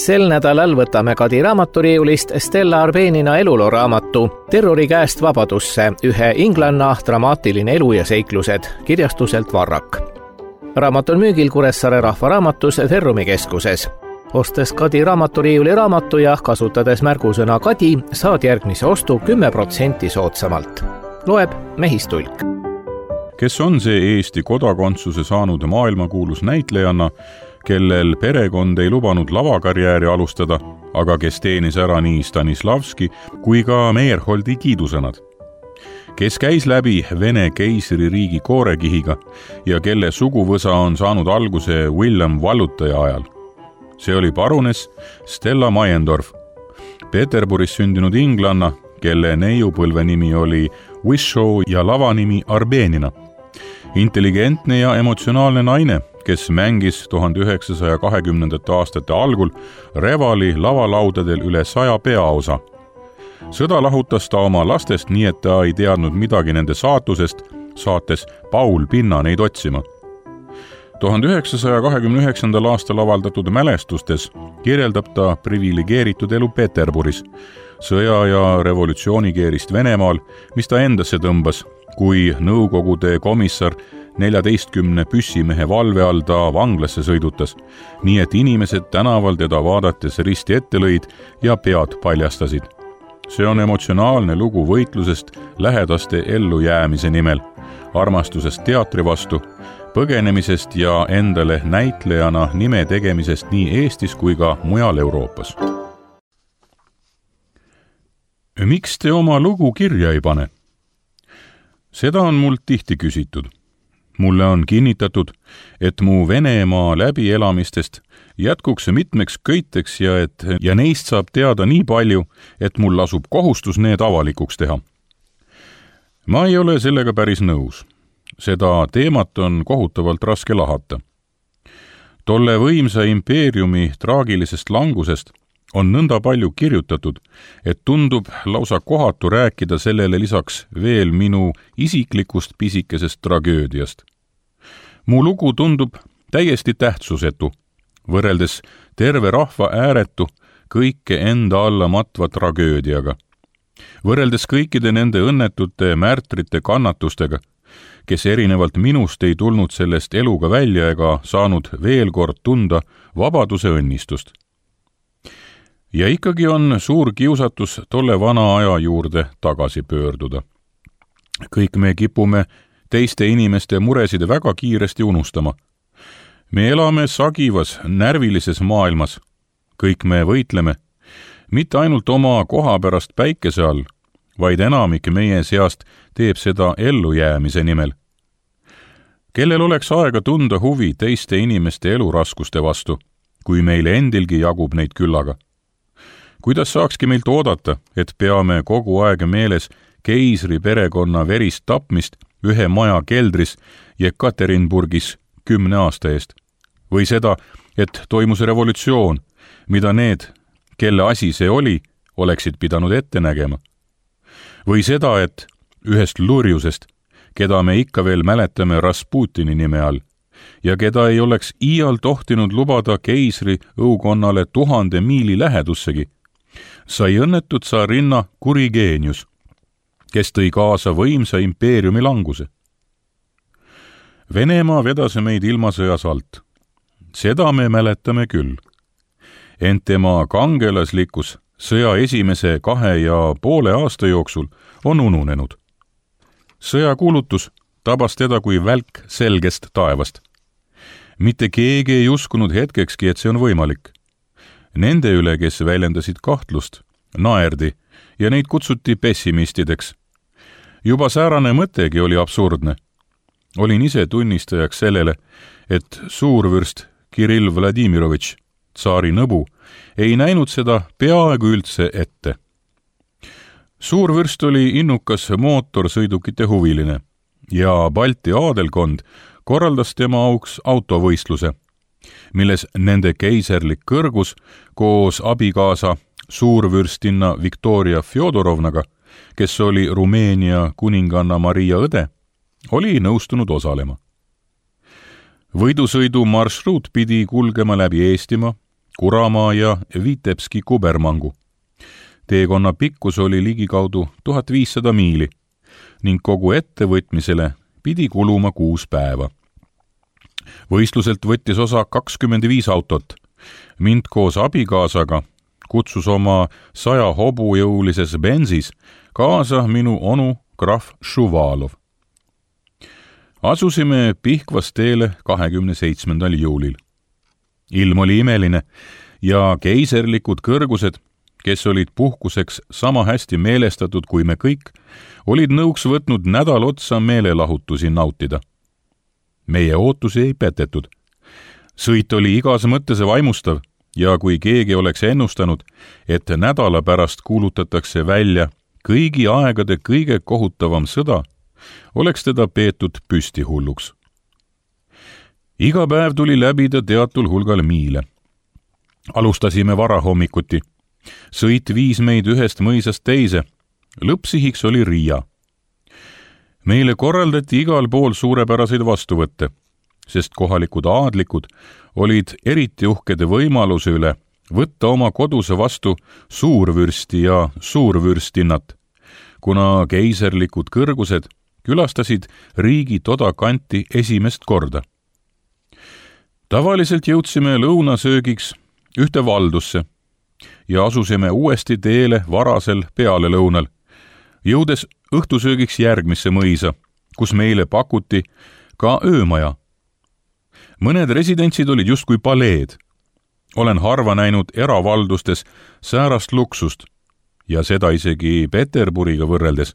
Sel nädalal võtame Kadi raamaturiiulist Stella Arbenina elulooraamatu Terrori käest vabadusse, ühe inglanna dramaatiline elu ja seiklused kirjastuselt Varrak. Raamat on müügil Kuressaare Rahvaraamatus Ferrumi keskuses. Ostes Kadi raamaturiiuli raamatu ja kasutades märgusõna Kadi, saad järgmise ostu 10% soodsamalt. Loeb Mehistulk. Kes on see Eesti kodakondsuse saanud maailmakuulus näitlejanna, kellel perekond ei lubanud lavakarjääri alustada, aga kes teenis ära nii Stanislavski kui ka Meyerholdi kiidusõnad? Kes käis läbi Vene keisririigi koorekihiga ja kelle suguvõsa on saanud alguse William Vallutaja ajal? See oli parunes Stella Meiendorf, Peterburis sündinud inglanna, kelle neiupõlve nimi oli Wishaw ja lavanimi Arbenina. Intelligentne ja emotsionaalne naine, kes mängis 1920. aastate algul Revali lavalaudadel üle 100 peaosa. Sõda lahutas ta oma lastest nii, et ta ei teadnud midagi nende saatusest, saates Paul Pinna neid otsima. 1929. aastal avaldatud mälestustes kirjeldab ta privilegeeritud elu Peterburis, sõja- ja revolutsioonikeerist Venemaal, mis ta endasse tõmbas, kui Nõukogude komissar 14 püssimehe valve all ta vanglasse sõidutas, nii et inimesed tänaval teda vaadates risti ette lõid ja pead paljastasid. See on emotsionaalne lugu võitlusest lähedaste ellujäämise nimel, armastusest teatri vastu, põgenemisest ja endale näitlejana nime tegemisest nii Eestis kui ka mujal Euroopas. Miks te oma lugu kirja ei pane? Seda on mult tihti küsitud. Mulle on kinnitatud, et mu Venemaa läbielamistest jätkuks mitmeks köiteks ja neist saab teada nii palju, et mul lasub kohustus need avalikuks teha. Ma ei ole sellega päris nõus. Seda teemat on kohutavalt raske lahata. Tolle võimsa impeeriumi traagilisest langusest on nõnda palju kirjutatud, et tundub lausa kohatu rääkida sellele lisaks veel minu isiklikust pisikesest tragöödiast. Mu lugu tundub täiesti tähtsusetu, võrreldes terve rahva ääretu, kõike enda alla matva tragöödiaga. Võrreldes kõikide nende õnnetute märtrite kannatustega, kes erinevalt minust ei tulnud sellest eluga välja ega saanud veel kord tunda vabaduse õnnistust. Ja ikkagi on suur kiusatus tolle vana aja juurde tagasi pöörduda. Kõik me kipume teiste inimeste muresid väga kiiresti unustama. Me elame sagivas, närvilises maailmas. Kõik me võitleme, mitte ainult oma koha pärast päikese all, vaid enamik meie seast teeb seda ellujäämise nimel. Kellel oleks aega tunda huvi teiste inimeste eluraskuste vastu, kui meil endilgi jagub neid küllaga? Kuidas saakski meilt oodata, et peame kogu aeg meeles keisri perekonna verist tapmist ühe maja keldris Jekaterinburgis 10 aasta eest? Või seda, et toimus revolutsioon, mida need, kelle asi see oli, oleksid pidanud ette nägema? Või seda, et ühest lurjusest, keda me ikka veel mäletame Rasputini nime all, ja keda ei oleks iial tohtinud lubada keisri õukonnale 1000 miili lähedussegi, sai õnnetud tsarinna Kurigeenius, kes tõi kaasa võimsa impeeriumi languse. Venemaa vedas meid ilmasõjas alt. Seda me mäletame küll. Ent tema kangelaslikkus sõja esimese 2,5 aasta jooksul on ununenud. Sõjakuulutus tabas teda kui välk selgest taevast. Mitte keegi ei uskunud hetkekski, et see on võimalik. Nende üle, kes väljendasid kahtlust, naerdi ja neid kutsuti pessimistideks. Juba säärane mõttegi oli absurdne. Olin ise tunnistajaks sellele, et suurvürst Kirill Vladimirovitš, tsaari nõbu, ei näinud seda peaaegu üldse ette. Suurvürst oli innukas mootorsõidukite huviline ja Balti aadelkond korraldas tema auks autovõistluse, milles nende keiserlik kõrgus koos abikaasa suurvürstinna Viktoria Fjodorovnaga, kes oli Rumeenia kuninganna Maria õde, oli nõustunud osalema. Võidusõidu marsruut pidi kulgema läbi Eestimaa, Kuramaa ja Vitebski kubermangu. Teekonna pikkus oli ligikaudu 1500 miili ning kogu ettevõtmisele pidi kuluma 6 päeva. Võistluselt võttis osa 25 autot. Mind koos abikaasaga kutsus oma 100 hobujõulises Benzis kaasa minu onu krahv Šuvalov. Asusime Pihkvas teele 27. juulil. Ilm oli imeline ja keiserlikud kõrgused, kes olid puhkuseks sama hästi meelestatud kui me kõik, olid nõuks võtnud nädal otsa meelelahutusi nautida. Meie ootusi ei petetud. Sõit oli igas mõttes vaimustav ja kui keegi oleks ennustanud, et nädala pärast kuulutatakse välja kõigi aegade kõige kohutavam sõda, oleks teda peetud püstihulluks. Iga päev tuli läbida teatul hulgal miile. Alustasime varahommikuti. Sõit viis meid ühest mõisast teise. Lõppsihiks oli Riia. Meile korraldati igal pool suurepäraseid vastuvõtte, sest kohalikud aadlikud olid eriti uhkede võimaluse üle võtta oma koduse vastu suurvürsti ja suurvürstinnat, kuna keiserlikud kõrgused külastasid riigi toda kanti esimest korda. Tavaliselt jõudsime lõunasöögiks ühte valdusse ja asusime uuesti teele varasel pealelõunal, jõudes õhtusöögiks järgmisse mõisa, kus meile pakuti ka öömaja. Mõned residentsid olid justkui paleed. Olen harva näinud eravaldustes säärast luksust ja seda isegi Peterburiga võrreldes.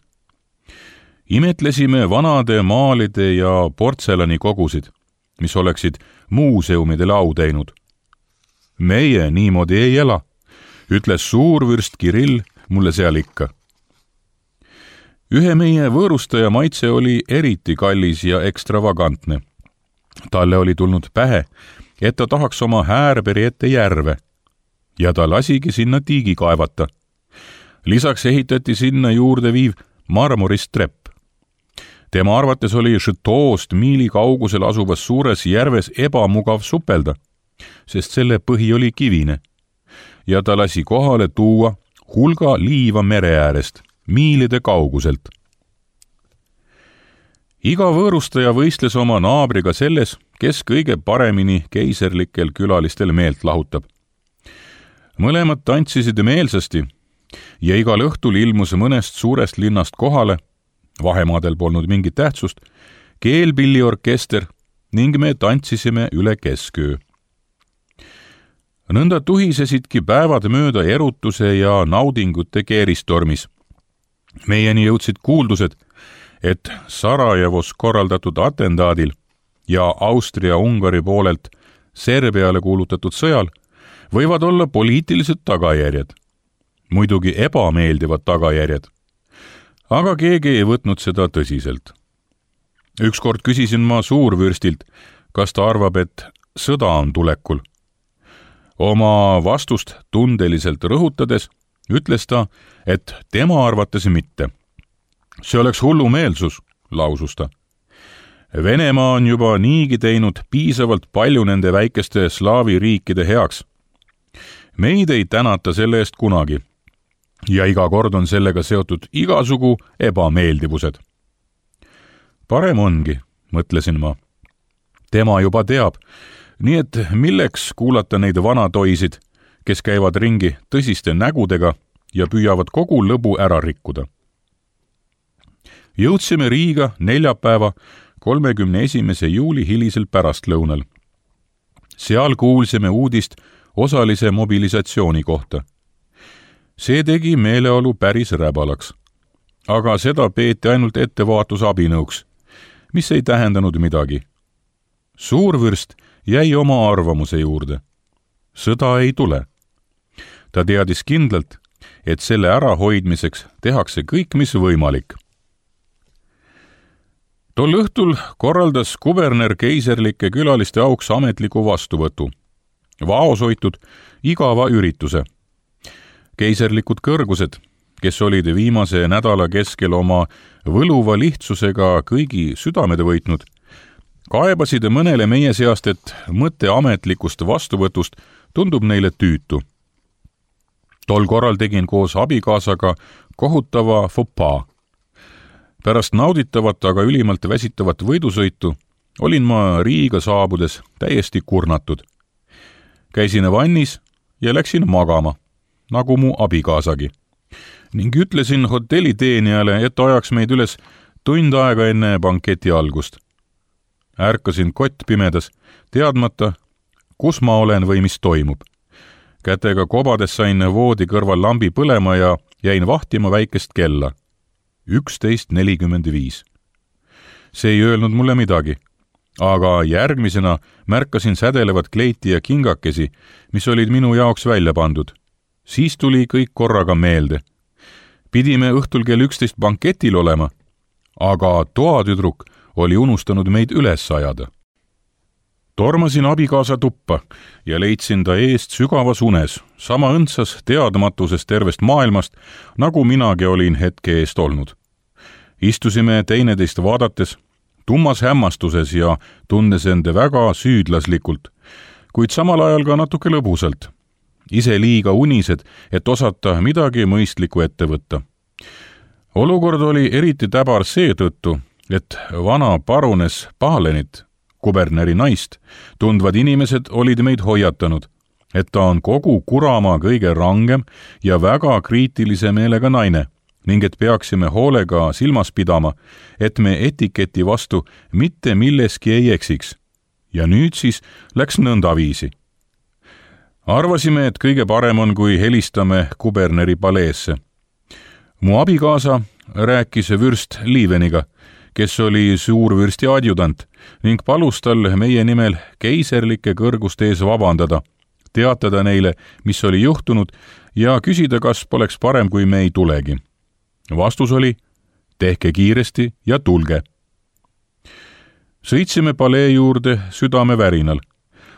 Imetlesime vanade maalide ja portselani kogusid, mis oleksid muuseumidele au teinud. Meie niimoodi ei ela, ütles suurvürst Kirill mulle seal ikka. Ühe meie võõrustaja maitse oli eriti kallis ja ekstravagantne. Talle oli tulnud pähe, et ta tahaks oma Häärberi ette järve ja ta lasigi sinna tiigi kaevata. Lisaks ehitati sinna juurde viiv marmorist trepp. Tema arvates oli Šõtoost miili kaugusel asuvas suures järves ebamugav supelda, sest selle põhi oli kivine ja ta lasi kohale tuua hulga liiva mere äärest, miilide kauguselt. Iga võõrustaja võistles oma naabriga selles, kes kõige paremini keiserlikel külalistel meelt lahutab. Mõlemad tantsisid meelsasti ja igal õhtul ilmus mõnest suurest linnast kohale, vahemaadel polnud mingit tähtsust, keelpilliorkester ning me tantsisime üle kesköö. Nõnda tuhisesidki päevad mööda erutuse ja naudingute keeristormis. Meieni jõudsid kuuldused, et Sarajevos korraldatud atendaadil ja Austria-Ungari poolelt Serbiale kuulutatud sõjal võivad olla poliitilised tagajärjed, muidugi ebameeldivad tagajärjed, aga keegi ei võtnud seda tõsiselt. Ükskord küsisin ma suurvürstilt, kas ta arvab, et sõda on tulekul. Oma vastust tundeliselt rõhutades ütles ta, et tema arvates mitte. See oleks hullumeelsus, lausus ta. Venemaa on juba niigi teinud piisavalt palju nende väikeste slaavi riikide heaks. Meid ei tänata selle eest kunagi ja iga kord on sellega seotud igasugu ebameeldivused. Parem ongi, mõtlesin ma. Tema juba teab, nii et milleks kuulata neid vanatoisid, kes käivad ringi tõsiste nägudega ja püüavad kogu lõbu ära rikkuda. Jõudsime Riiga neljapäeva 31. juuli hilisel pärastlõunal. Seal kuulsime uudist osalise mobilisatsiooni kohta. See tegi meeleolu päris räbalaks, aga seda peeti ainult ettevaatusabinõuks, mis ei tähendanud midagi. Suurvürst jäi oma arvamuse juurde. Sõda ei tule. Ta teadis kindlalt, et selle ärahoidmiseks tehakse kõik, mis võimalik. Tol õhtul korraldas kuberner keiserlike külaliste auks ametliku vastuvõtu. Vaoshoitud igava ürituse. Keiserlikud kõrgused, kes olid viimase nädala keskel oma võluva lihtsusega kõigi südamed võitnud, kaebasid mõnele meie seast, et mõte ametlikust vastuvõtust tundub neile tüütu. Tol korral tegin koos abikaasaga kohutava faux pas. Pärast nauditavat, aga ülimalt väsitavat võidusõitu olin ma Riiga saabudes täiesti kurnatud. Käisin vannis ja läksin magama, nagu mu abikaasagi, ning ütlesin hotelliteenijale, et ajaks meid üles tund aega enne banketi algust. Ärkasin kottpimedas, teadmata, kus ma olen või mis toimub. Kätega kobades sain voodi kõrval lambi põlema ja jäin vahtima väikest kella. 11:45. See ei öelnud mulle midagi, aga järgmisena märkasin sädelevat kleiti ja kingakesi, mis olid minu jaoks välja pandud. Siis tuli kõik korraga meelde. Pidime õhtul kell 11 banketil olema, aga toatüdruk oli unustanud meid üles ajada. Tormasin abikaasa tuppa ja leidsin ta eest sügavas unes, sama õndsas teadmatuses tervest maailmast, nagu minagi olin hetke eest olnud. Istusime teineteist vaadates, tummas hämmastuses ja tundes ende väga süüdlaslikult, kuid samal ajal ka natuke lõbusalt. Ise liiga unised, et osata midagi mõistlikku ette võtta. Olukord oli eriti täbar seetõttu, et vana parunes Palenit, kuberneri naist, tundvad inimesed olid meid hoiatanud, et ta on kogu Kuramaa kõige rangem ja väga kriitilise meelega naine ning et peaksime hoolega silmas pidama, et me etiketi vastu mitte milleski ei eksiks. Ja nüüd siis läks nõndaviisi. Arvasime, et kõige parem on, kui helistame kuberneri paleesse. Mu abikaasa rääkis vürst Liiveniga, kes oli suurvürsti adjudant ning palus tal meie nimel keiserlike kõrguste ees vabandada, teatada neile, mis oli juhtunud ja küsida, kas poleks parem, kui me ei tulegi. Vastus oli, tehke kiiresti ja tulge. Sõitsime palee juurde südamevärinal,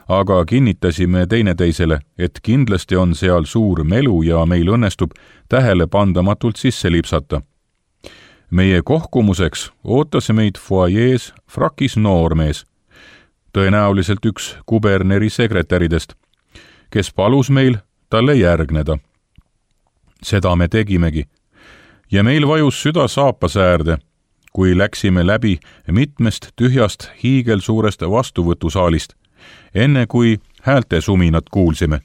aga kinnitasime teineteisele, et kindlasti on seal suur melu ja meil õnnestub tähelepandamatult sisse lipsata. Meie kohkumuseks ootas meid foajees frakis noormees, tõenäoliselt üks kuberneri sekretäridest, kes palus meil talle järgneda. Seda me tegimegi ja meil vajus süda saapasäärde, kui läksime läbi mitmest tühjast hiigelsuurest vastuvõtusaalist, enne kui häälte suminat kuulsime.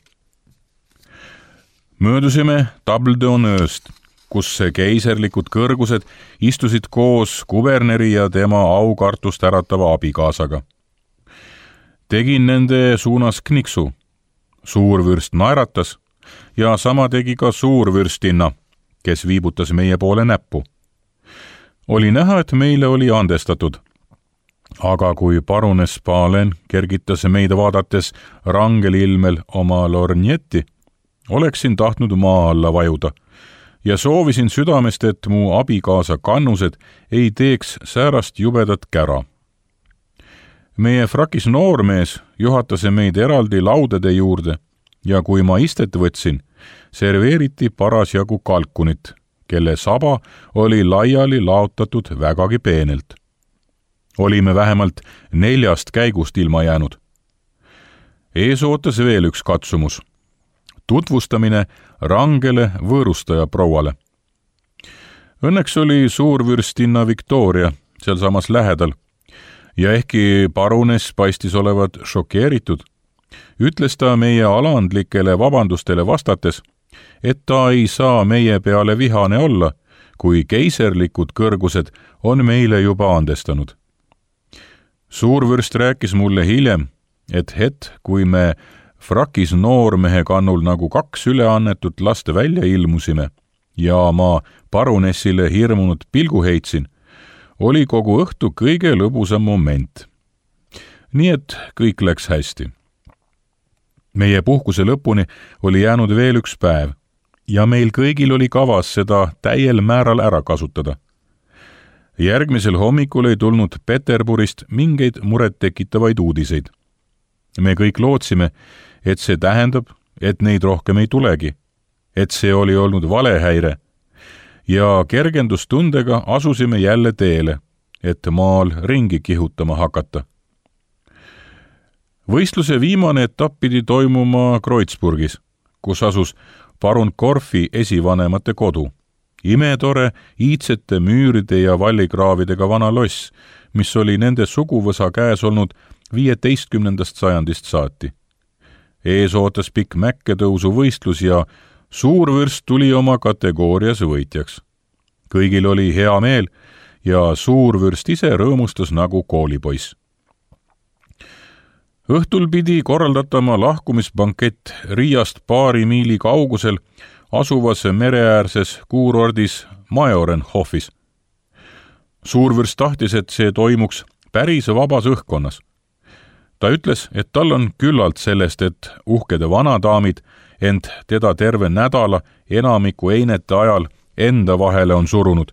Möödusime Table d'Honneur'st, kus keiserlikud kõrgused istusid koos kuberneri ja tema aukartust äratava abikaasaga. Tegin nende suunas kniksu. Suurvürst naeratas ja sama tegi ka suurvürstinna, kes viibutas meie poole näppu. Oli näha, et meile oli andestatud. Aga kui parunes Palen kergitas meid vaadates rangel ilmel oma lornjetti, oleksin tahtnud maa alla vajuda ja soovisin südamest, et mu abikaasa kannused ei teeks säärast jubedat kära. Meie frakis noormees juhatas meid eraldi laudade juurde ja kui ma istet võtsin, serveeriti parasjagu kalkunit, kelle saba oli laiali laotatud vägagi peenelt. Olime vähemalt 4 käigust ilma jäänud. Ees ootas veel üks katsumus. Tutvustamine rangele võõrustaja prouale. Õnneks oli suurvürstinna Victoria sealsamas lähedal ja ehkki parunes paistis olevat šokeeritud, ütles ta meie alandlikele vabandustele vastates, et ta ei saa meie peale vihane olla, kui keiserlikud kõrgused on meile juba andestanud. Suurvürst rääkis mulle hiljem, et kui me frakis noormehe kannul nagu 2 üleannetut last välja ilmusime ja ma parunessile hirmunud pilgu heitsin, oli kogu õhtu kõige lõbusam moment. Nii et kõik läks hästi. Meie puhkuse lõpuni oli jäänud veel 1 päev ja meil kõigil oli kavas seda täiel määral ära kasutada. Järgmisel hommikul ei tulnud Peterburist mingeid muret tekitavaid uudiseid. Me kõik lootsime, et see tähendab, et neid rohkem ei tulegi, et see oli olnud valehäire ja kergendustundega asusime jälle teele, et maal ringi kihutama hakata. Võistluse viimane etapp pidi toimuma Kreutzburgis, kus asus parun Korfi esivanemate kodu. Imetore, iidsete müüride ja vallikraavidega vana loss, mis oli nende suguvõsa käes olnud 15. sajandist saati. Ees ootas pikk mäkketõusu võistlus ja suurvürst tuli oma kategoorias võitjaks. Kõigil oli hea meel ja suurvürst ise rõõmustas nagu koolipoiss. Õhtul pidi korraldatama lahkumisbankett Riiast paari miili kaugusel asuvas mereäärses kuurordis Majorenhofis. Suurvürst tahtis, et see toimuks päris vabas õhkkonnas. Ta ütles, et tal on küllalt sellest, et uhkede vanadaamid ent teda terve nädala enamiku einete ajal enda vahele on surunud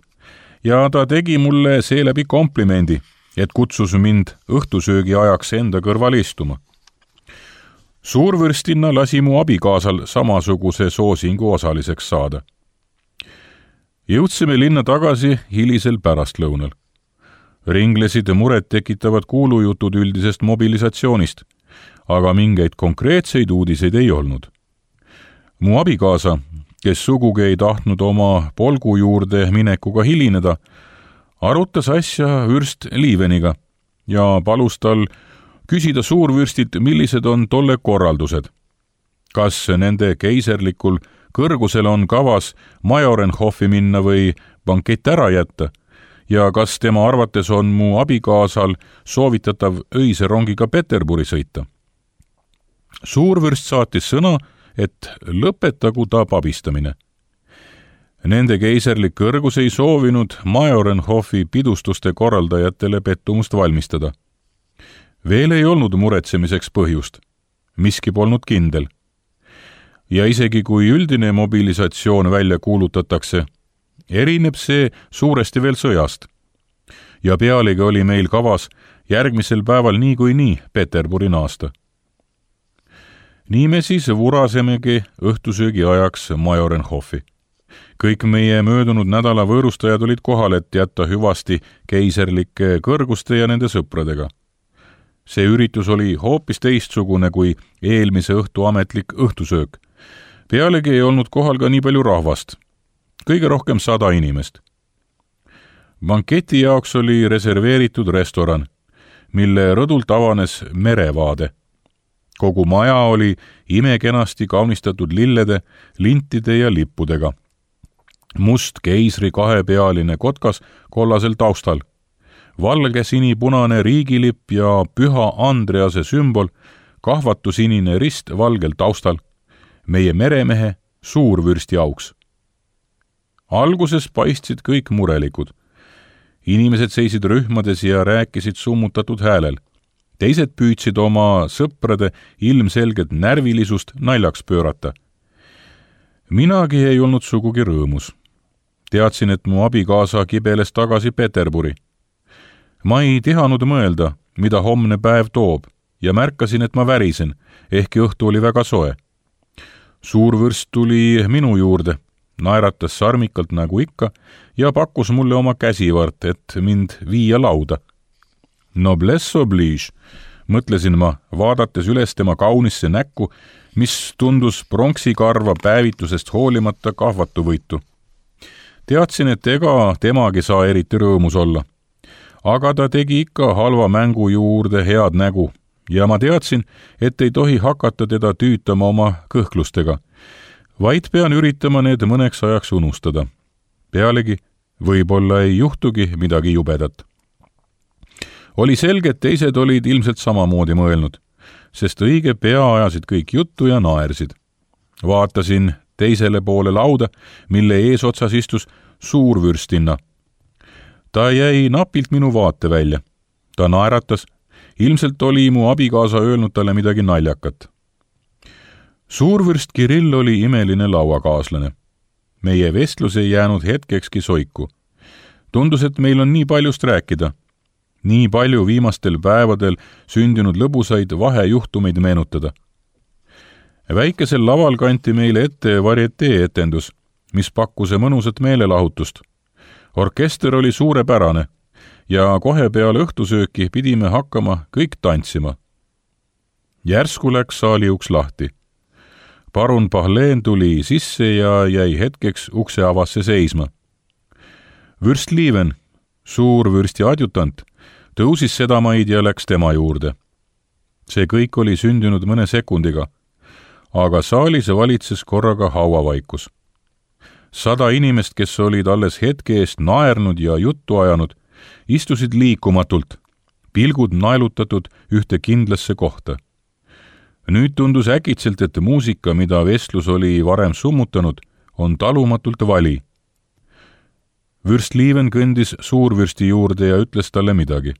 ja ta tegi mulle seeläbi komplimendi, et kutsus mind õhtusöögi ajaks enda kõrval istuma. Suurvürstinna lasi mu abikaasal samasuguse soosingu osaliseks saada. Jõudsime linna tagasi hilisel pärastlõunal. Ringlesid muret tekitavad kuulujutud üldisest mobilisatsioonist, aga mingeid konkreetseid uudiseid ei olnud. Mu abikaasa, kes sugugi ei tahtnud oma polgu juurde minekuga hilineda, arutas asja vürst Liiveniga ja palus tal küsida suurvürstilt, millised on tolle korraldused. Kas nende keiserlikul kõrgusel on kavas Majorenhofi minna või bankett ära jätta ja kas tema arvates on mu abikaasal soovitatav öise rongiga Peterburi sõita. Suurvürst saatis sõna, et lõpetagu ta pabistamine. Nende keiserlik kõrgus ei soovinud Majorenhofi pidustuste korraldajatele pettumust valmistada. Veel ei olnud muretsemiseks põhjust. Miski polnud kindel. Ja isegi kui üldine mobilisatsioon välja kuulutatakse, erineb see suuresti veel sõjast. Ja pealegi oli meil kavas järgmisel päeval nii Peterburi naasta. Nii me siis vurasemegi õhtusöögi ajaks Majorenhofi. Kõik meie möödunud nädala võõrustajad olid kohal, et jätta hüvasti keiserlike kõrguste ja nende sõpradega. See üritus oli hoopis teistsugune kui eelmise õhtu ametlik õhtusöök. Pealegi ei olnud kohal ka nii palju rahvast. Kõige rohkem 100 inimest. Banketi jaoks oli reserveeritud restoran, mille rõdult avanes merevaade. Kogu maja oli imekenasti kaunistatud lillede, lintide ja lippudega. Must keisri kahepealine kotkas kollasel taustal. Valge sinipunane riigilipp ja püha Andrease sümbol, kahvatusinine rist valgel taustal. Meie meremehe suurvürsti auks. Alguses paistsid kõik murelikud. Inimesed seisid rühmades ja rääkisid summutatud häälel. Teised püüdsid oma sõprade ilmselget närvilisust naljaks pöörata. Minagi ei olnud sugugi rõõmus. Teadsin, et mu abikaasa kibeles tagasi Peterburi. Ma ei tihanud mõelda, mida homne päev toob, ja märkasin, et ma värisen, ehkki õhtu oli väga soe. Suurvürst tuli minu juurde, naeratas sarmikalt nagu ikka ja pakkus mulle oma käsivart, et mind viia lauda. Noblesse oblige, mõtlesin ma, vaadates üles tema kaunisse näkku, mis tundus pronksikarva päevitusest hoolimata kahvatuvõitu. Teadsin, et ega temagi saa eriti rõõmus olla. Aga ta tegi ikka halva mängu juurde head nägu ja ma teadsin, et ei tohi hakata teda tüütama oma kõhklustega, vaid pean üritama need mõneks ajaks unustada. Pealegi võib-olla ei juhtugi midagi jubedat. Oli selge, et teised olid ilmselt samamoodi mõelnud, sest õige pea ajasid kõik juttu ja naersid. Vaatasin teisele poole lauda, mille eesotsas istus suurvürstinna. Ta jäi napilt minu vaate välja. Ta naeratas, ilmselt oli mu abikaasa öelnud talle midagi naljakat. Suurvürst Kirill oli imeline lauakaaslane. Meie vestlus ei jäänud hetkekski soiku. Tundus, et meil on nii paljust rääkida. Nii palju viimastel päevadel sündinud lõbusaid vahejuhtumeid meenutada. Väikesel laval kanti meile ette varietee etendus, mis pakkus mõnusat meelelahutust. Orkester oli suurepärane ja kohe peale õhtusööki pidime hakkama kõik tantsima. Järsku läks saali uks lahti. Parun Pahleen tuli sisse ja jäi hetkeks ukse avasse seisma. Vürstliiven, suurvürsti adjutant, tõusis sedamaid ja läks tema juurde. See kõik oli sündinud mõne sekundiga, aga saalis valitses korraga hauavaikus. 100 inimest, kes olid alles hetke eest naernud ja juttu ajanud, istusid liikumatult, pilgud naelutatud ühte kindlasse kohta. Nüüd tundus äkitselt, et muusika, mida vestlus oli varem summutanud, on talumatult vali. Vürstliiven kõndis suurvürsti juurde ja ütles talle midagi.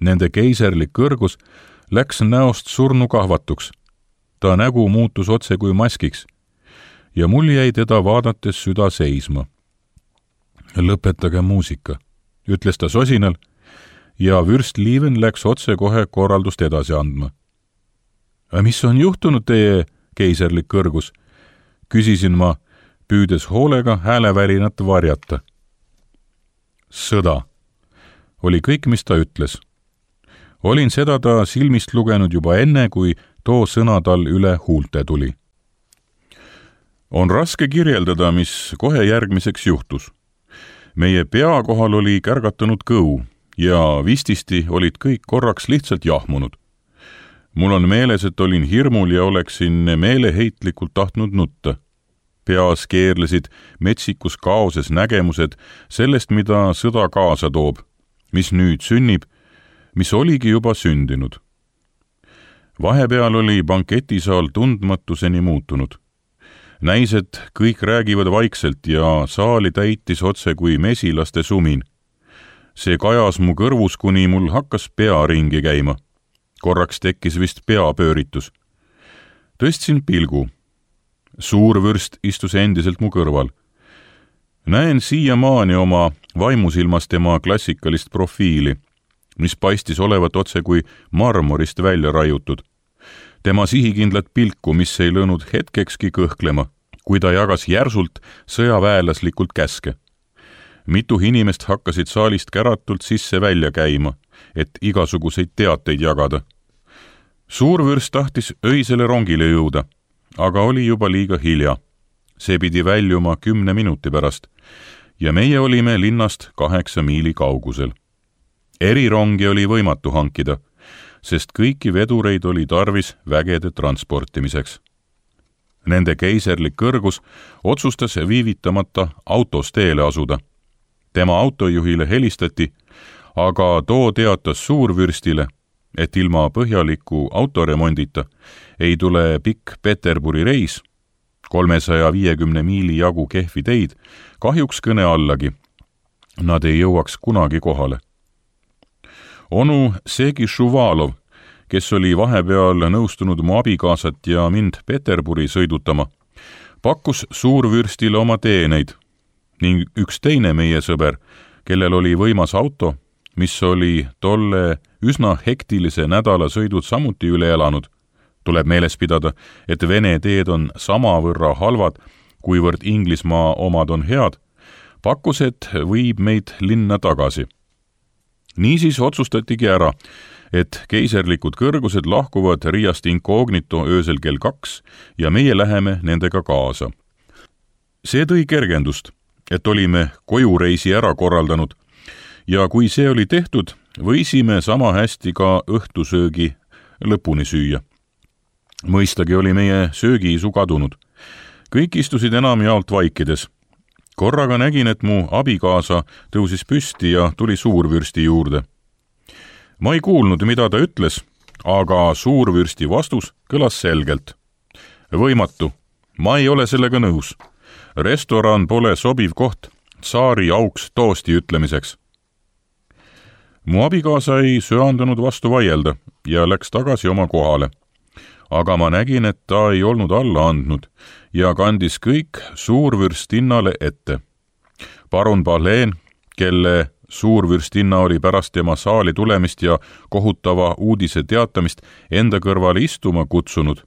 Nende keiserlik kõrgus läks näost surnu kahvatuks. Ta nägu muutus otse kui maskiks ja mul jäi teda vaadates süda seisma. Lõpetage muusika, ütles ta sosinal ja Vürstliiven läks otse kohe korraldust edasi andma. Mis on juhtunud teie keiserlik kõrgus? Küsisin ma, püüdes hoolega häälevärinat varjata. Sõda oli kõik, mis ta ütles. Olin seda ta silmist lugenud juba enne, kui too sõna tal üle huulte tuli. On raske kirjeldada, mis kohe järgmiseks juhtus. Meie pea kohal oli kärgatanud kõu ja vististi olid kõik korraks lihtsalt jahmunud. Mul on meeles, et olin hirmul ja oleksin meeleheitlikult tahtnud nutta. Peas keerlesid metsikus kaoses nägemused sellest, mida sõda kaasa toob, mis nüüd sünnib, mis oligi juba sündinud. Vahepeal oli banketisaal tundmatuseni muutunud. Näis, et kõik räägivad vaikselt ja saali täitis otse kui mesilaste sumin. See kajas mu kõrvus, kuni mul hakkas pea ringi käima. Korraks tekkis vist peapööritus. Tõstsin pilgu. Suurvürst istus endiselt mu kõrval. Näen siiamaani oma vaimusilmas tema klassikalist profiili, mis paistis olevat otse kui marmorist välja raiutud. Tema sihikindlat pilku, mis ei lõõnud hetkekski kõhklema, kui ta jagas järsult sõjaväelaslikult käske. Mitu inimest hakkasid saalist käratult sisse välja käima, et igasuguseid teateid jagada. Suurvürst tahtis öisele rongile jõuda, aga oli juba liiga hilja. See pidi väljuma 10 minuti pärast ja meie olime linnast 8 miili kaugusel. Erirongi oli võimatu hankida, sest kõiki vedureid oli tarvis vägede transportimiseks. Nende keiserlik kõrgus otsustas viivitamata autos teele asuda. Tema autojuhile helistati, aga too teatas suurvürstile, et ilma põhjaliku autoremondita ei tule pikk Peterburi reis, 350 miili jagu kehvi teid, kahjuks kõne allagi. Nad ei jõuaks kunagi kohale. Onu Segi Šuvalov, kes oli vahepeal nõustunud mu abikaasat ja mind Peterburi sõidutama, pakkus suurvürstile oma teeneid ning üks teine meie sõber, kellel oli võimas auto, mis oli tolle üsna hektilise nädala sõidud samuti üle elanud. Tuleb meeles pidada, et Vene teed on samavõrra halvad, kuivõrd Inglismaa omad on head, pakkus, et viib meid linna tagasi. Niisiis otsustatigi ära, et keiserlikud kõrgused lahkuvad Riiast incognito öösel kell 2 ja meie läheme nendega kaasa. See tõi kergendust, et olime kojureisi ära korraldanud ja kui see oli tehtud, võisime sama hästi ka õhtusöögi lõpuni süüa. Mõistagi oli meie söögiisu kadunud. Kõik istusid enamjaolt vaikides. Korraga nägin, et mu abikaasa tõusis püsti ja tuli suurvürsti juurde. Ma ei kuulnud, mida ta ütles, aga suurvürsti vastus kõlas selgelt. Võimatu, ma ei ole sellega nõus. Restoran pole sobiv koht tsaari auks toosti ütlemiseks. Mu abikaasa ei söandunud vastu vaielda ja läks tagasi oma kohale. Aga ma nägin, et ta ei olnud alla andnud ja kandis kõik suurvürstinnale ette. Parun Pahleen, kelle suurvürstinna oli pärast tema saali tulemist ja kohutava uudise teatamist enda kõrvale istuma kutsunud,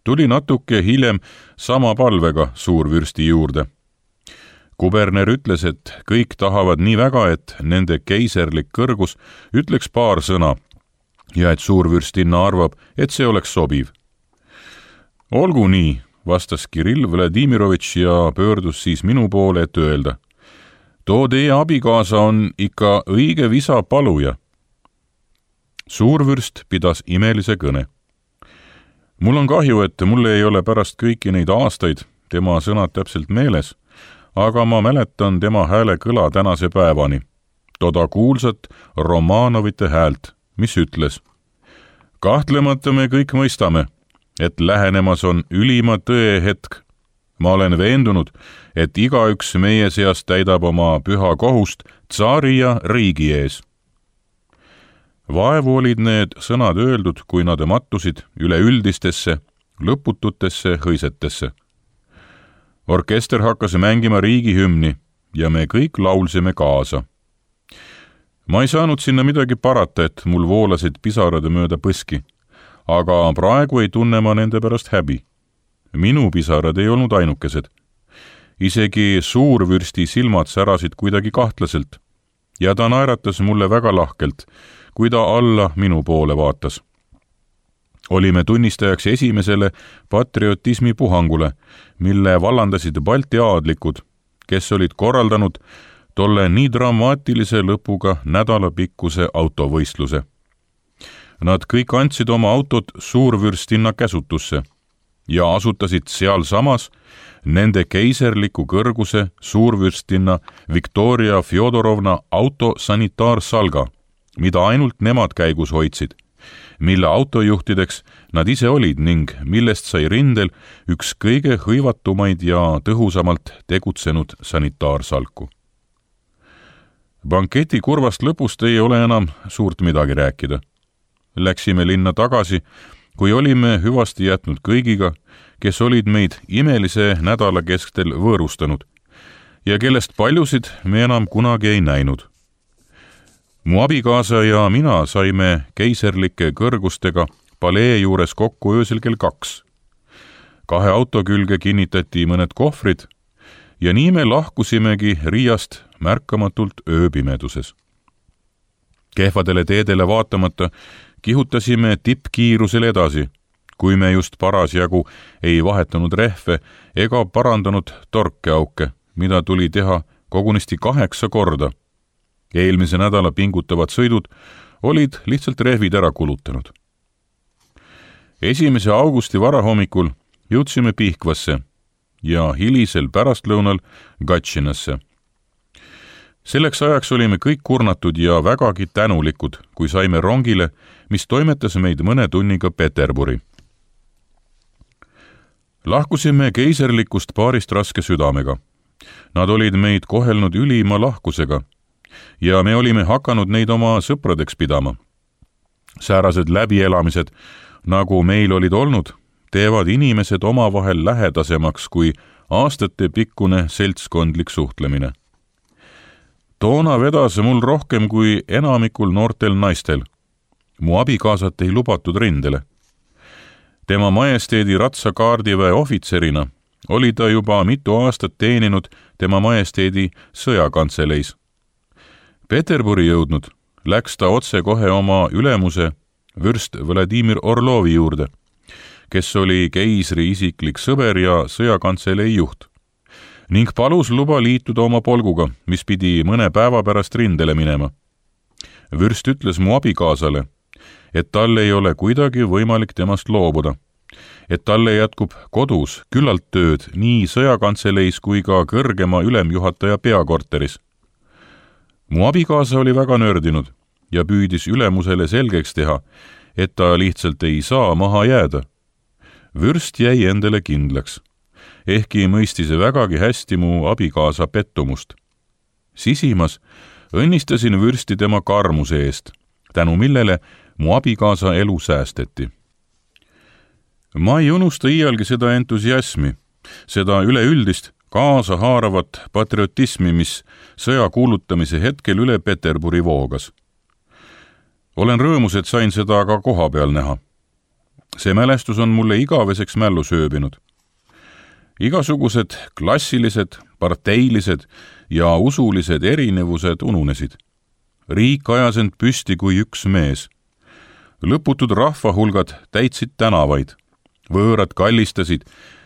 tuli natuke hiljem sama palvega suurvürsti juurde. Kuberner ütles, et kõik tahavad nii väga, et nende keiserlik kõrgus ütleks paar sõna ja et suurvürstinna arvab, et see oleks sobiv. Olgu nii, vastas Kirill Vladimirovitš ja pöördus siis minu poole, et öelda. Too teie abikaasa on ikka õige visa paluja. Suurvürst pidas imelise kõne. Mul on kahju, et mulle ei ole pärast kõiki neid aastaid tema sõnad täpselt meeles, aga ma mäletan tema hääle kõla tänase päevani, toda kuulsat Romanovite häält, mis ütles. Kahtlemata me kõik mõistame, et lähenemas on ülima tõe hetk. Ma olen veendunud, et igaüks meie seast täidab oma püha kohust tsaari ja riigi ees. Vaevu olid need sõnad öeldud, kui nad mattusid üleüldistesse, lõpututesse hõisetesse. Orkester hakkas mängima riigihümni ja me kõik laulsime kaasa. Ma ei saanud sinna midagi parata, et mul voolasid pisarad mööda põski, aga praegu ei tunne ma nende pärast häbi. Minu pisarad ei olnud ainukesed. Isegi suurvürsti silmad särasid kuidagi kahtlaselt ja ta naeratas mulle väga lahkelt, kui ta alla minu poole vaatas. Olime tunnistajaks esimesele patriotismi puhangule, mille vallandasid Balti aadlikud, kes olid korraldanud tolle nii dramaatilise lõpuga nädalapikkuse autovõistluse. Nad kõik andsid oma autot suurvürstinna käsutusse ja asutasid seal samas nende keiserliku kõrguse suurvürstinna Viktoria Fjodorovna auto sanitaarsalga, mida ainult nemad käigus hoidsid, mille autojuhtideks nad ise olid ning millest sai rindel üks kõige hõivatumaid ja tõhusamalt tegutsenud sanitaarsalku. Banketi kurvast lõpust ei ole enam suurt midagi rääkida. Läksime linna tagasi, kui olime hüvasti jätnud kõigiga, kes olid meid imelise nädala keskel võõrustanud ja kellest paljusid me enam kunagi ei näinud. Mu abikaasa ja mina saime keiserlike kõrgustega palee juures kokku öösel kell 2. 2 auto külge kinnitati mõned kohvrid ja nii me lahkusimegi Riiast märkamatult ööpimeduses. Kehvadele teedele vaatamata kihutasime tippkiirusel edasi, kui me just parasjagu ei vahetanud rehve ega parandanud torkeauke, mida tuli teha kogunisti 8 korda. Eelmise nädala pingutavad sõidud olid lihtsalt rehvid ära kulutanud. 1. augusti varahommikul jõudsime Pihkvasse ja hilisel pärastlõunal Gatšinasse. Selleks ajaks olime kõik kurnatud ja vägagi tänulikud, kui saime rongile, mis toimetas meid mõne tunniga Peterburi. Lahkusime keiserlikust paarist raske südamega. Nad olid meid kohelnud ülima lahkusega ja me olime hakanud neid oma sõpradeks pidama. Säärased läbielamised, nagu meil olid olnud, teevad inimesed omavahel lähedasemaks kui aastatepikkune seltskondlik suhtlemine. Toona vedas mul rohkem kui enamikul noortel naistel. Mu abikaasat ei lubatud rindele. Tema majesteedi ratsakaardiväe ohvitserina oli ta juba mitu aastat teeninud tema majesteedi sõjakantseleis. Peterburi jõudnud läks ta otse kohe oma ülemuse vürst Vladimir Orlovi juurde, kes oli keisri isiklik sõber ja sõjakantselei juht, ning palus luba liituda oma polguga, mis pidi mõne päeva pärast rindele minema. Vürst ütles mu abikaasale, et tal ei ole kuidagi võimalik temast loobuda, et talle jätkub kodus küllalt tööd nii sõjakantseleis kui ka kõrgema ülemjuhataja peakorteris. Mu abikaasa oli väga nördinud ja püüdis ülemusele selgeks teha, et ta lihtsalt ei saa maha jääda. Vürst jäi endale kindlaks, ehkki mõistis vägagi hästi mu abikaasa pettumust. Sisimas õnnistasin vürsti tema karmuse eest, tänu millele mu abikaasa elu säästeti. Ma ei unusta iialgi seda entusiasmi, seda üleüldist kaasahaaravat patriotismi, mis sõja kuulutamise hetkel üle Peterburi voogas. Olen rõõmus, et sain seda ka koha peal näha. See mälestus on mulle igaveseks mällu sööbinud. Igasugused klassilised, parteilised ja usulised erinevused ununesid. Riik ajas end püsti kui üks mees. lõputud rahvahulgad täitsid tänavaid, võõrad kallistasid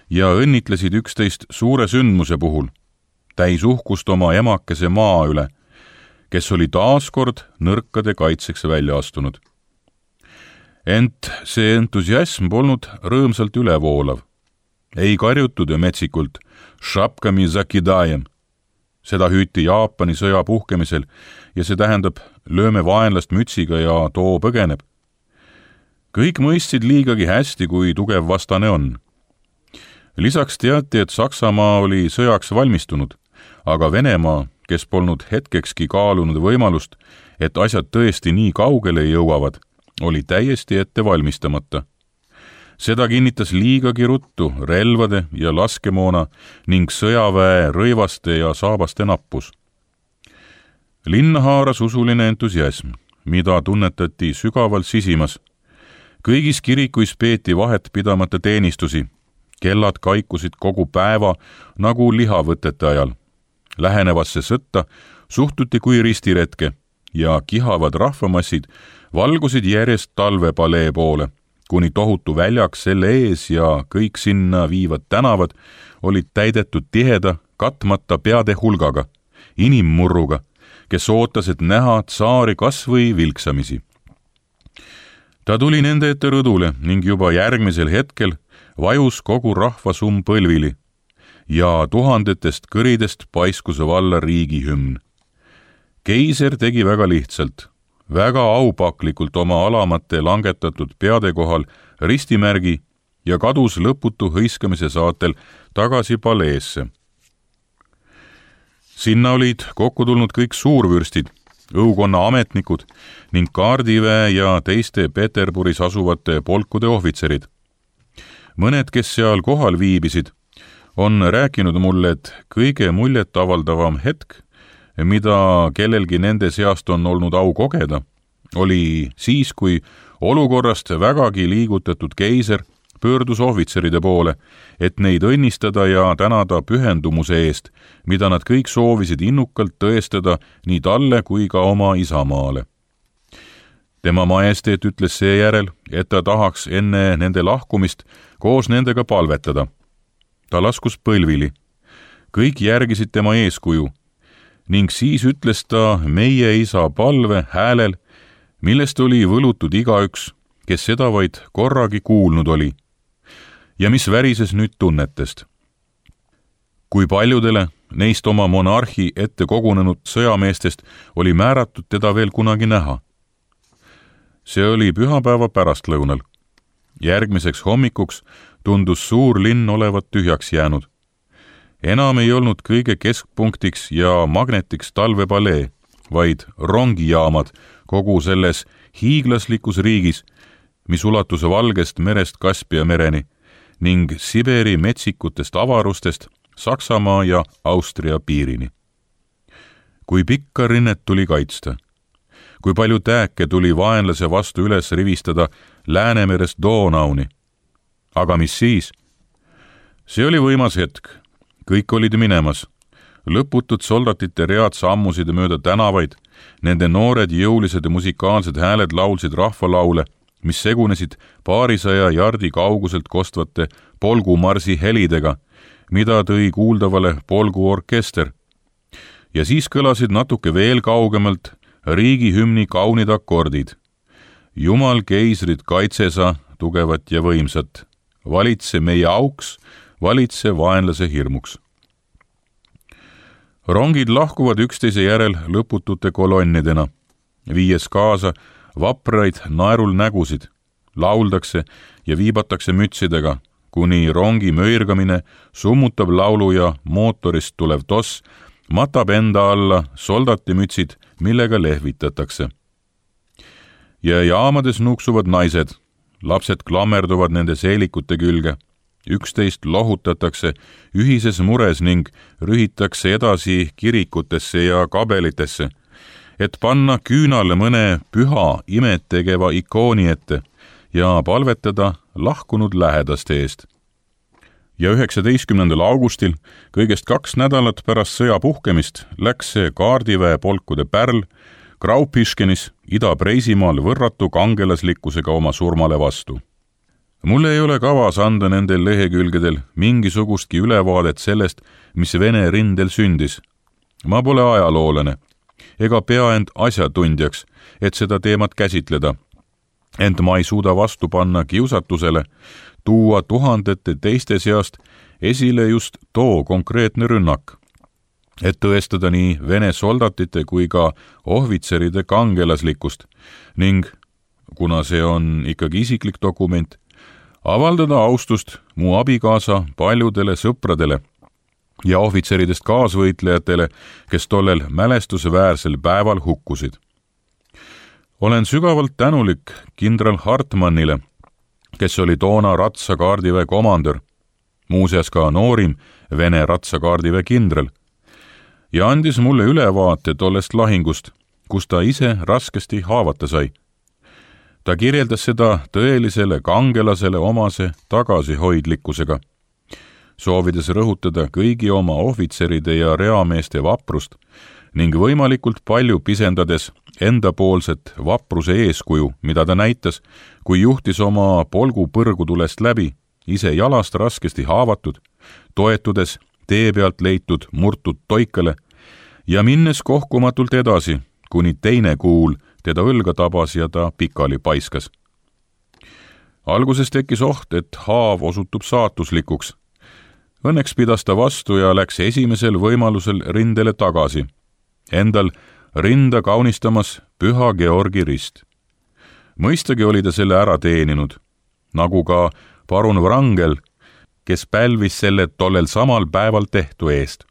ja õnnitlesid üksteist suure sündmuse puhul, täis uhkust oma emakese maa üle, kes oli taaskord nõrkade kaitseks välja astunud. Ent see entusiasm polnud rõõmsalt ülevoolav. Ei karjutud metsikult šapkami zakidajem. Seda hüüti Jaapani sõja puhkemisel ja see tähendab lööme vaenlast mütsiga ja too põgeneb. Kõik mõistsid liigagi hästi, kui tugev vastane on. Lisaks teati, et Saksamaa oli sõjaks valmistunud, aga Venemaa, kes polnud hetkekski kaalunud võimalust, et asjad tõesti nii kaugele jõuavad, oli täiesti ette valmistamata. Seda kinnitas liigagi ruttu relvade ja laskemoona ning sõjaväe rõivaste ja saabaste nappus. Linna haaras usuline entusiasm, mida tunnetati sügaval sisimas. Kõigis kirikuis peeti vahet pidamata teenistusi. Kellad kaikusid kogu päeva nagu lihavõtete ajal. Lähenevasse sõtta suhtuti kui ristiretke ja kihavad rahvamassid valgusid järjest talvepalee poole, kuni tohutu väljak selle ees ja kõik sinna viivad tänavad olid täidetud tiheda, katmata peade hulgaga, inimmurruga, kes ootas, et näha tsaari kas või vilksamisi. Ta tuli nende ette rõdule ning juba järgmisel hetkel vajus kogu rahvasumm põlvili ja tuhandetest kõridest paiskus valla riigihümn. Keiser tegi väga lihtsalt, väga aupaklikult oma alamate langetatud peade kohal ristimärgi ja kadus lõputu hõiskamise saatel tagasi paleesse. Sinna olid kokku tulnud kõik suurvürstid, õukonna ametnikud ning kaardiväe ja teiste Peterburis asuvate polkude ohvitserid. Mõned, kes seal kohal viibisid, on rääkinud mulle, et kõige muljet avaldavam hetk, mida kellelgi nende seast on olnud au kogeda, oli siis, kui olukorrast vägagi liigutatud keiser pöördus ohvitseride poole, et neid õnnistada ja tänada pühendumuse eest, mida nad kõik soovisid innukalt tõestada nii talle kui ka oma isamaale. Tema majesteet ütles seejärel, et ta tahaks enne nende lahkumist koos nendega palvetada. Ta laskus põlvili. Kõik järgisid tema eeskuju ning siis ütles ta meie isa palve häälel, millest oli võlutud igaüks, kes seda vaid korragi kuulnud oli ja mis värises nüüd tunnetest. Kui paljudele neist oma monarhi ette kogunenud sõjameestest oli määratud teda veel kunagi näha. See oli pühapäeva pärastlõunal. Järgmiseks hommikuks tundus suur linn olevat tühjaks jäänud. Enam ei olnud kõige keskpunktiks ja magnetiks talvepalee, vaid rongijaamad kogu selles hiiglaslikus riigis, mis ulatus Valgest merest Kaspia mereni ning Siberi metsikutest avarustest Saksamaa ja Austria piirini. Kui pikka rinnet tuli kaitsta, kui palju tääke tuli vaenlase vastu üles rivistada Läänemerest Donauni. Aga mis siis? See oli võimas hetk. Kõik olid minemas. Lõputud soldatite read sammusid mööda tänavaid, nende noored jõulised ja musikaalsed hääled laulsid rahvalaule, mis segunesid paarisaja jardi kauguselt kostvate polgumarsi helidega, mida tõi kuuldavale polguorkester. Ja siis kõlasid natuke veel kaugemalt riigihümni kaunid akordid. Jumal keisrit kaitsesa, tugevat ja võimsat. Valitse meie auks, valitse vaenlase hirmuks. Rongid lahkuvad üksteise järel lõputute kolonnidena, viies kaasa vapraid naerul nägusid, lauldakse ja viibatakse mütsidega, kuni rongi möirgamine summutab laulu ja mootorist tulev toss matab enda alla soldatimütsid, millega lehvitatakse. Ja jaamades nuksuvad naised, lapsed klammerduvad nende seelikute külge, üksteist lohutatakse ühises mures ning rühitakse edasi kirikutesse ja kabelitesse, et panna küünale mõne püha imet tegeva ikooni ette ja palvetada lahkunud lähedaste eest. Ja 19. augustil, kõigest 2 nädalat pärast sõja puhkemist, läks see kaardiväe polkude pärl Graupiškenis Ida-Preisimaal võrratu kangelaslikkusega oma surmale vastu. Mul ei ole kavas anda nendel lehekülgedel mingisugustki ülevaadet sellest, mis Vene rindel sündis. Ma pole ajaloolane ega pea end asjatundjaks, et seda teemat käsitleda. Ent ma ei suuda vastu panna kiusatusele tuua tuhandete teiste seast esile just too konkreetne rünnak, et tõestada nii Vene soldatite kui ka ohvitseride kangelaslikkust ning, kuna see on ikkagi isiklik dokument, avaldada austust mu abikaasa paljudele sõpradele ja ohvitseridest kaasvõitlejatele, kes tollel mälestusväärsel päeval hukkusid. Olen sügavalt tänulik kindral Hartmannile, kes oli toona ratsakaardiväe komandör, muuseas ka noorim Vene ratsakaardiväe kindral, ja andis mulle ülevaate tollest lahingust, kus ta ise raskesti haavata sai. Ta kirjeldas seda tõelisele kangelasele omase tagasihoidlikkusega, soovides rõhutada kõigi oma ohvitseride ja reameeste vaprust ning võimalikult palju pisendades endapoolset vapruse eeskuju, mida ta näitas, kui juhtis oma polgu põrgutulest läbi, ise jalast raskesti haavatud, toetudes tee pealt leitud murtud toikale ja minnes kohkumatult edasi, kuni teine kuul teda õlga tabas ja ta pikali paiskas. Alguses tekkis oht, et haav osutub saatuslikuks. Õnneks pidas ta vastu ja läks esimesel võimalusel rindele tagasi, endal rinda kaunistamas Püha Georgi rist. Mõistagi oli ta selle ära teeninud, nagu ka parun Wrangel, kes pälvis selle tollel samal päeval tehtu eest.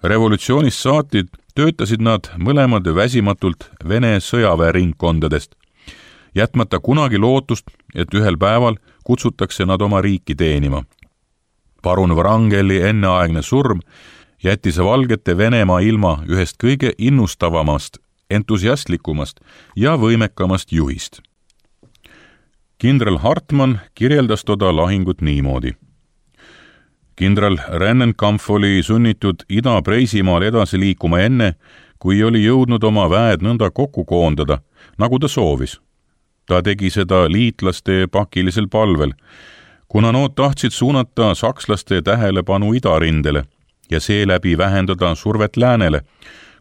Revolutsioonist saati töötasid nad mõlemad väsimatult Vene sõjaväeringkondadest, jätmata kunagi lootust, et ühel päeval kutsutakse nad oma riiki teenima. Parun Wrangeli enneaegne surm jättis valgete Venemaa ilma ühest kõige innustavamast, entusiastlikumast ja võimekamast juhist. Kindral Hartmann kirjeldas toda lahingut niimoodi. Kindral Rennenkampf oli sunnitud Ida-Preisimaal edasi liikuma enne, kui oli jõudnud oma väed nõnda kokku koondada, nagu ta soovis. Ta tegi seda liitlaste pakilisel palvel, kuna nood tahtsid suunata sakslaste tähelepanu idarindele ja seeläbi vähendada survet läänele,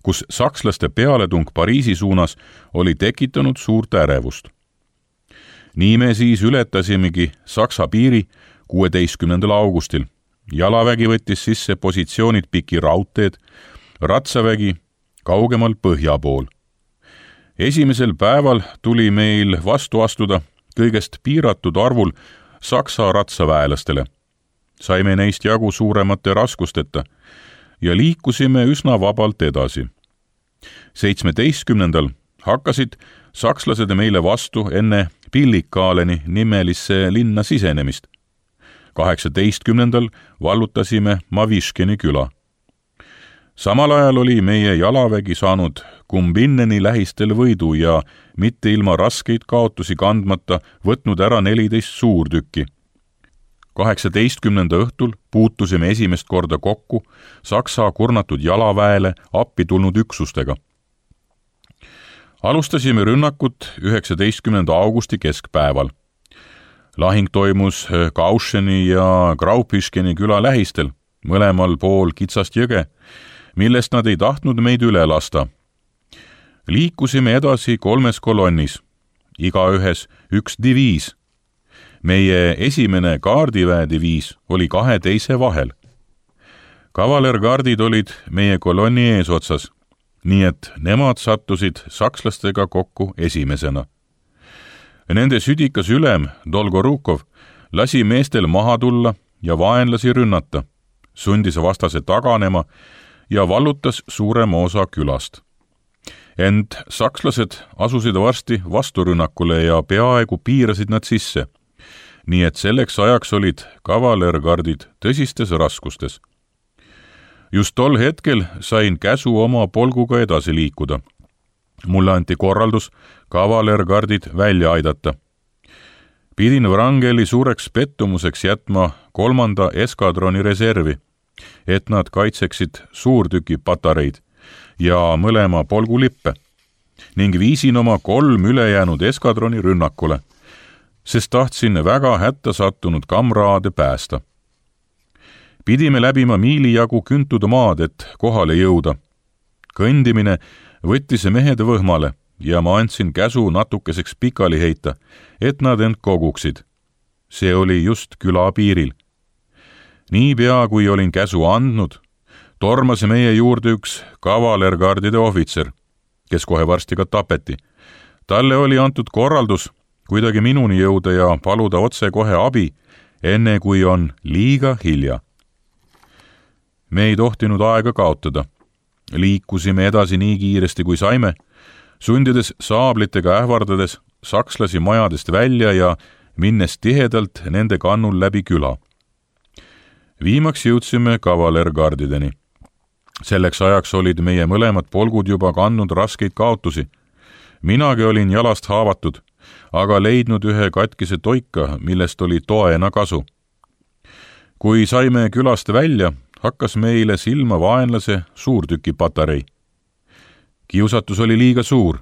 kus sakslaste pealetung Pariisi suunas oli tekitanud suurt ärevust. Nii me siis ületasimegi Saksa piiri 16. augustil. Jalavägi võttis sisse positsioonid piki raudteed, ratsavägi kaugemal põhja pool. Esimesel päeval tuli meil vastu astuda kõigest piiratud arvul Saksa ratsaväelastele. Saime neist jagu suuremate raskusteta ja liikusime üsna vabalt edasi. 17. hakkasid sakslased meile vastu enne Pillikaaleni nimelisse linna sisenemist. 18. vallutasime Maviškeni küla. Samal ajal oli meie jalavägi saanud Kumbinneni lähistel võidu ja mitte ilma raskeid kaotusi kandmata võtnud ära 14 suurtükki. 18. õhtul puutusime esimest korda kokku Saksa kurnatud jalaväele appi tulnud üksustega. Alustasime rünnakut 19. augusti keskpäeval. Lahing toimus Kaušeni ja Graupiškeni küla lähistel, mõlemal pool kitsast jõge, millest nad ei tahtnud meid üle lasta. Liikusime edasi 3 kolonnis, igaühes 1 diviis. Meie esimene kaardiväediviis oli 2 teise vahel. Kavalergardid olid meie kolonni eesotsas, nii et nemad sattusid sakslastega kokku esimesena. Nende südikas ülem, Dolgorukov, lasi meestel maha tulla ja vaenlasi rünnata, sundis vastase taganema ja vallutas suurema osa külast. Ent sakslased asusid varsti vasturünnakule ja peaaegu piirasid nad sisse, nii et selleks ajaks olid kavalergardid tõsistes raskustes. Just tol hetkel sain käsu oma polguga edasi liikuda. Mulle anti korraldus kavalergardid välja aidata. Pidin Wrangeli suureks pettumuseks jätma 3. eskadroni reservi, et nad kaitseksid suurtüki patareid ja mõlema polgu lippe. ning viisin oma 3 ülejäänud eskadroni rünnakule, sest tahtsin väga hätta sattunud kamraade päästa. Pidime läbima miili jagu küntud maad, et kohale jõuda. Kõndimine võttis mehed võhmale ja ma andsin käsu natukeseks pikali heita, et nad end koguksid. See oli just küla piiril. Niipea, kui olin käsu andnud, tormas meie juurde üks kavalergardide ohvitser, kes kohe varsti ka tapeti. Talle oli antud korraldus kuidagi minuni jõuda ja paluda otse kohe abi, enne kui on liiga hilja. Me ei tohtinud aega kaotada. Liikusime edasi nii kiiresti kui saime, sundides saablitega ähvardades sakslasi majadest välja ja minnes tihedalt nende kannul läbi küla. Viimaks jõudsime kavalergardideni. Selleks ajaks olid meie mõlemad polgud juba kandnud raskeid kaotusi. Minagi olin jalast haavatud, aga leidnud ühe katkise toika, millest oli toena kasu. Kui saime külast välja, hakkas meile silma vaenlase suurtükipatarei. Kiusatus oli liiga suur,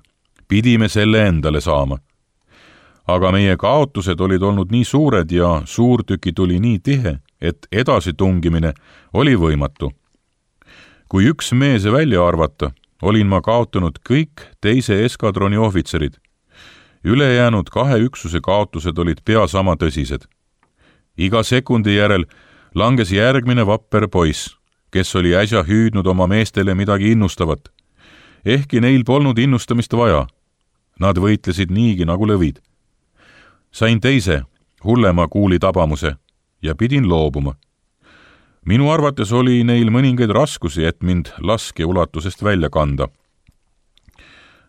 pidime selle endale saama. Aga meie kaotused olid olnud nii suured ja suurtüki tuli nii tihe, et edasi tungimine oli võimatu. Kui üks mees välja arvata, olin ma kaotanud kõik teise eskadroni ohvitserid. Ülejäänud 2 üksuse kaotused olid pea sama tõsised. Iga sekundi järel langes järgmine vapper poiss, kes oli äsja hüüdnud oma meestele midagi innustavat. Ehkki neil polnud innustamist vaja. Nad võitlesid niigi nagu lõvid. Sain teise, hullema kuuli tabamuse ja pidin loobuma. Minu arvates oli neil mõningaid raskusi, et mind laske ulatusest välja kanda.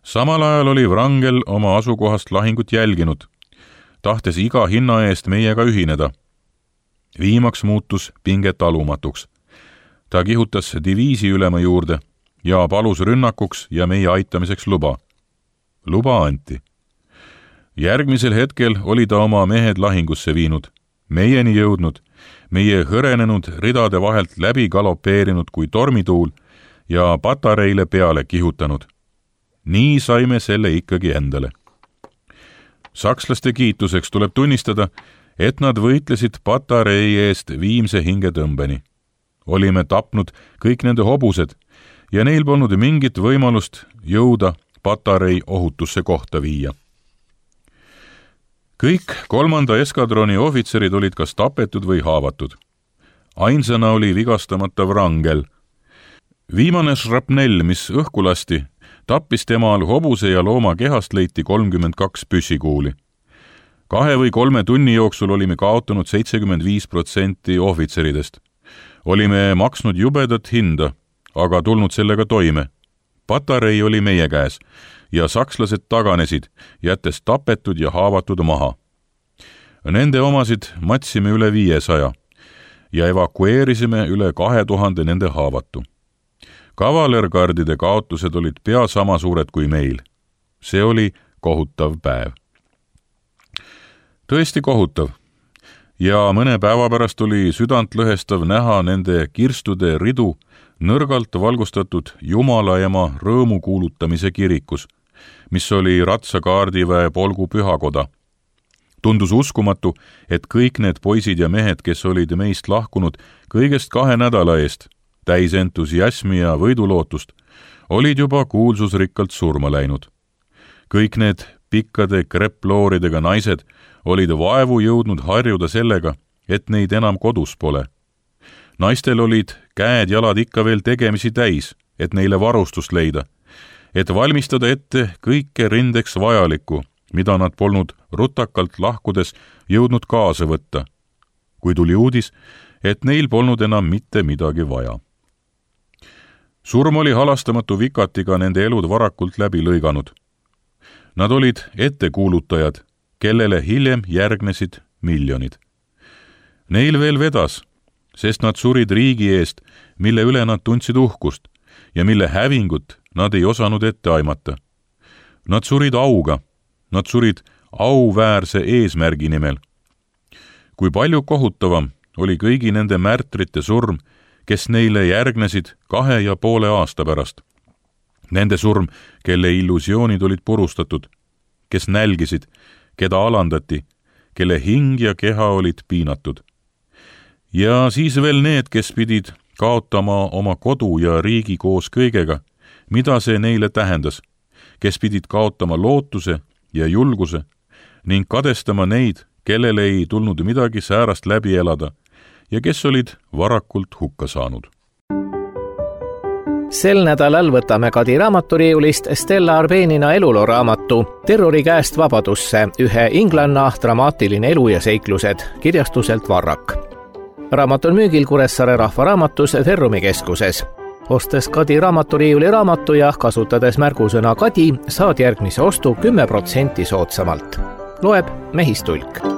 Samal ajal oli Wrangel oma asukohast lahingut jälginud, tahtes iga hinna eest meiega ühineda. Viimaks muutus pinge talumatuks. Ta kihutas diviisi ülema juurde ja palus rünnakuks ja meie aitamiseks luba. Luba anti. Järgmisel hetkel oli ta oma mehed lahingusse viinud, meieni jõudnud, meie hõrenenud ridade vahelt läbi galopeerinud kui tormituul ja patareile peale kihutanud. Nii saime selle ikkagi endale. Sakslaste kiituseks tuleb tunnistada, et nad võitlesid patarei eest viimse hingetõmbeni. Olime tapnud kõik nende hobused ja neil polnud mingit võimalust jõuda patarei ohutusse kohta viia. Kõik 3. eskadroni ohvitserid olid kas tapetud või haavatud. Ainsana oli vigastamata Wrangel. Viimane šrapnell, mis õhku lasti, tappis temal hobuse ja looma kehast leiti 32 püssikuuli. 2 või 3 tunni jooksul olime kaotanud 75% ohvitseridest. Olime maksnud jubedat hinda, aga tulnud sellega toime. Patarei oli meie käes ja sakslased taganesid, jättes tapetud ja haavatud maha. Nende omasid matsime üle 500 ja evakueerisime üle 2000 nende haavatu. Kavalergardide kaotused olid pea sama suured kui meil. See oli kohutav päev. Tõesti kohutav. Ja mõne päeva pärast oli südantlõhestav näha nende kirstude ridu nõrgalt valgustatud Jumala ema rõõmu kuulutamise kirikus, mis oli ratsakaardiväe polgu pühakoda. Tundus uskumatu, et kõik need poisid ja mehed, kes olid meist lahkunud kõigest 2 nädala eest, täis entusiasmi ja võidulootust, olid juba kuulsusrikkalt surma läinud. Kõik need pikkade krepplooridega naised olid vaevu jõudnud harjuda sellega, et neid enam kodus pole. Naistel olid käed-jalad ikka veel tegemisi täis, et neile varustust leida, et valmistada ette kõike rindeks vajalikku, mida nad polnud rutakalt lahkudes jõudnud kaasa võtta, kui tuli uudis, et neil polnud enam mitte midagi vaja. Surm oli halastamatu vikatiga nende elud varakult läbi lõiganud. Nad olid ettekuulutajad, kellele hiljem järgnesid miljonid. Neil veel vedas, sest nad surid riigi eest, mille üle nad tundsid uhkust ja mille hävingut nad ei osanud ette aimata. Nad surid auga, nad surid auväärse eesmärgi nimel. Kui palju kohutavam oli kõigi nende märtrite surm, kes neile järgnesid 2,5 aasta pärast. Nende surm, kelle illusioonid olid purustatud, kes nälgisid, keda alandati, kelle hing ja keha olid piinatud. Ja siis veel need, kes pidid kaotama oma kodu ja riigi koos kõigega, mida see neile tähendas, kes pidid kaotama lootuse ja julguse ning kadestama neid, kellele ei tulnud midagi säärast läbi elada ja kes olid varakult hukka saanud. Sel nädalal võtame Kadi raamaturiiulist Stella Arbenina eluloo raamatu Terrori käest vabadusse, ühe inglanna dramaatiline elu ja seiklused kirjastuselt Varrak. Raamat on müügil Kuressaare Rahvaraamatus Ferrumi keskuses. Ostes Kadi raamaturiiuli raamatu ja kasutades märgusõna Kadi, saad järgmise ostu 10% soodsamalt. Loeb Mehistulk.